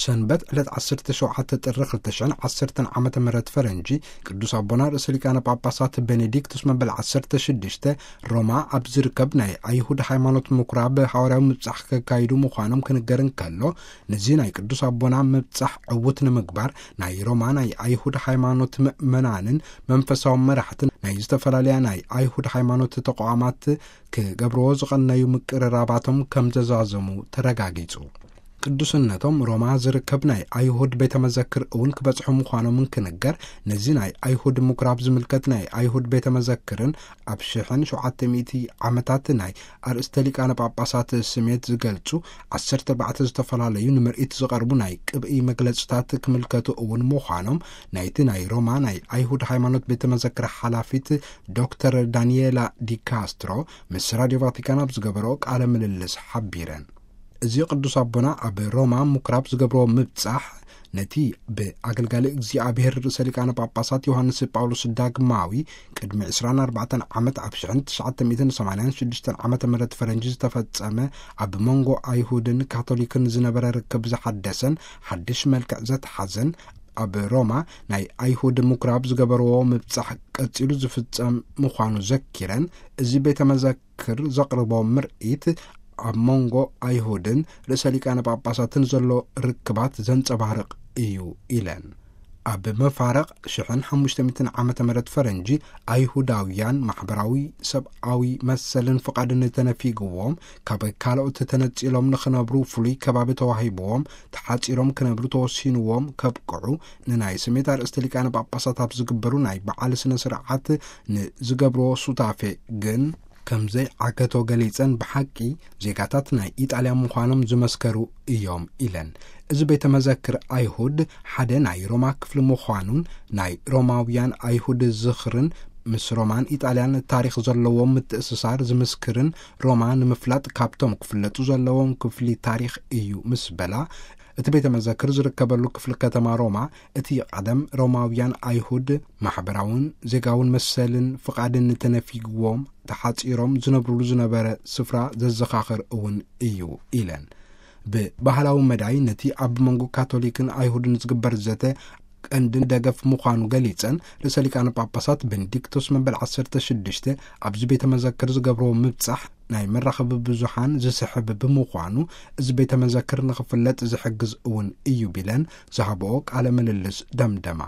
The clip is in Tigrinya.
ሰንበት ዕለት ዓሰርተ ሸውዓተ ጥሪ ክልተ ሽሕን ዓሰርተን ዓመተ ምህረት ፈረንጂ፣ ቅዱስ ኣቦና ርእሰ ሊቃነ ጳጳሳት ቤኔዲክቱስ መበል ዓሰርተ ሽዱሽተ ሮማ ኣብ ዝርከብ ናይ ኣይሁድ ሃይማኖት ምኩራብ ሃዋርያዊ ምብጻሕ ከካይዱ ምዃኖም ክንገር እንከሎ፣ ነዚ ናይ ቅዱስ ኣቦና ምብጻሕ ዕዉት ንምግባር ናይ ሮማ ናይ ኣይሁድ ሃይማኖት ምእመናንን መንፈሳዊ መራሕትን ናይ ዝተፈላለያ ናይ ኣይሁድ ሃይማኖት ተቋማት ክገብርዎ ዝቐነዩ ምቅርራባቶም ከም ዘዛዘሙ ተረጋጊጹ። ቅዱስነቶም ሮማ ዝርከብ ናይ ኣይሁድ ቤተ መዘክር እውን ክበጽሑ ምዃኖም እንክንገር፣ ነዚ ናይ ኣይሁድ ምኩራብ ዝምልከት ናይ ኣይሁድ ቤተ መዘክርን ኣብ ሽሕን ሸውዓተ ሚእቲ ዓመታት ናይ ኣርእስተ ሊቃነ ጳጳሳት ስሜት ዝገልጹ ዓሰርተ ኣርባዕተ ዝተፈላለዩ ንምርኢት ዝቐርቡ ናይ ቅብኢ መግለጽታት ክምልከቱ እውን ምዃኖም ናይቲ ናይ ሮማ ናይ ኣይሁድ ሃይማኖት ቤተ መዘክር ሓላፊት ዶክተር ዳንኤላ ዲካስትሮ ምስ ራድዮ ቫቲካን ኣብ ዝገበረኦ ቃለ ምልልስ ሓቢረን። እዚ ቅዱስ ኣቦና ኣብ ሮማ ምኩራብ ዝገብርዎ ምብጻሕ፣ ነቲ ብኣገልጋሊ እግዚኣብሔር ርእሰ ሊቃነ ጳጳሳት ዮሃንስ ጳውሎስ ዳግማዊ ቅድሚ ዕስራን ኣርባዕተን ዓመት ኣብ ሽሕን ትሽዓተ ሚእትን ሰማንያን ሽዱሽተን ዓመተ ምህረት ፈረንጂ ዝተፈጸመ ኣብ መንጎ ኣይሁድን ካቶሊክን ዝነበረ ርክብ ዝሓደሰን ሓድሽ መልክዕ ዘትሓዘን ኣብ ሮማ ናይ ኣይሁድ ምኩራብ ዝገበርዎ ምብጻሕ ቀጺሉ ዝፍጸም ምዃኑ ዘኪረን፣ እዚ ቤተ መዘክር ዘቕርቦ ምርኢት ኣብ መንጎ ኣይሁድን ርእሰ ሊቃነ ጳጳሳትን ዘሎ ርክባት ዘንጸባርቕ እዩ ኢለን። ኣብ መፋረቕ ሽሕን ሓሙሽተ ሚእትን ዓመተ ምህረት ፈረንጂ፣ ኣይሁዳውያን ማሕበራዊ ሰብኣዊ መሰልን ፍቓድን ተነፊግዎም፣ ካብ ካልኦት ተነጺሎም ንኽነብሩ ፍሉይ ከባቢ ተዋሂብዎም፣ ተሓጺሮም ክነብሩ ተወሲንዎም ከብቅዑ፣ ንናይ ስሜት ኣርእስተ ሊቃነ ጳጳሳት ኣብ ዝግበሩ ናይ በዓል ስነ ስርዓት ንዝገብርዎ ሱታፌ ግን ከም ዘይዓገቶ ገሊጸን፣ ብሓቂ ዜጋታት ናይ ኢጣልያ ምዃኖም ዝመስከሩ እዮም ኢለን። እዚ ቤተ መዘክር ኣይሁድ ሓደ ናይ ሮማ ክፍሊ ምዃኑን ናይ ሮማውያን ኣይሁድ ዝኽርን ምስ ሮማን ኢጣልያን ታሪኽ ዘለዎም ምትእስሳር ዝምስክርን፣ ሮማ ንምፍላጥ ካብቶም ክፍለጡ ዘለዎም ክፍሊ ታሪኽ እዩ ምስ በላ፣ እቲ ቤተ መዘክር ዝርከበሉ ክፍሊ ከተማ ሮማ እቲ ቀደም ሮማውያን ኣይሁድ ማሕበራውን ዜጋውን መሰልን ፍቓድን ተነፊግዎም ተሓጺሮም ዝነብሩሉ ዝነበረ ስፍራ ዘዘኻኽር እውን እዩ ኢለን። ብባህላዊ መዳይ ነቲ ኣብ መንጎ ካቶሊክን ኣይሁድን ዝግበር ዘተ ቀንድን ደገፍ ምዃኑ ገሊጸን፣ ርእሰ ሊቃነ ጳጳሳት ቤኔዲክቶስ መበል ዓሰርተ ሽዱሽተ ኣብዚ ቤተ መዘክር ዝገብርዎ ምብጻሕ ናይ መራኸቢ ብዙሓን ዝስሕብ ብምዃኑ፣ እዚ ቤተ መዘክር ንኽፍለጥ ዝሕግዝ እውን እዩ ቢለን ዝሃብኦ ቃለ ምልልስ ደምደማ።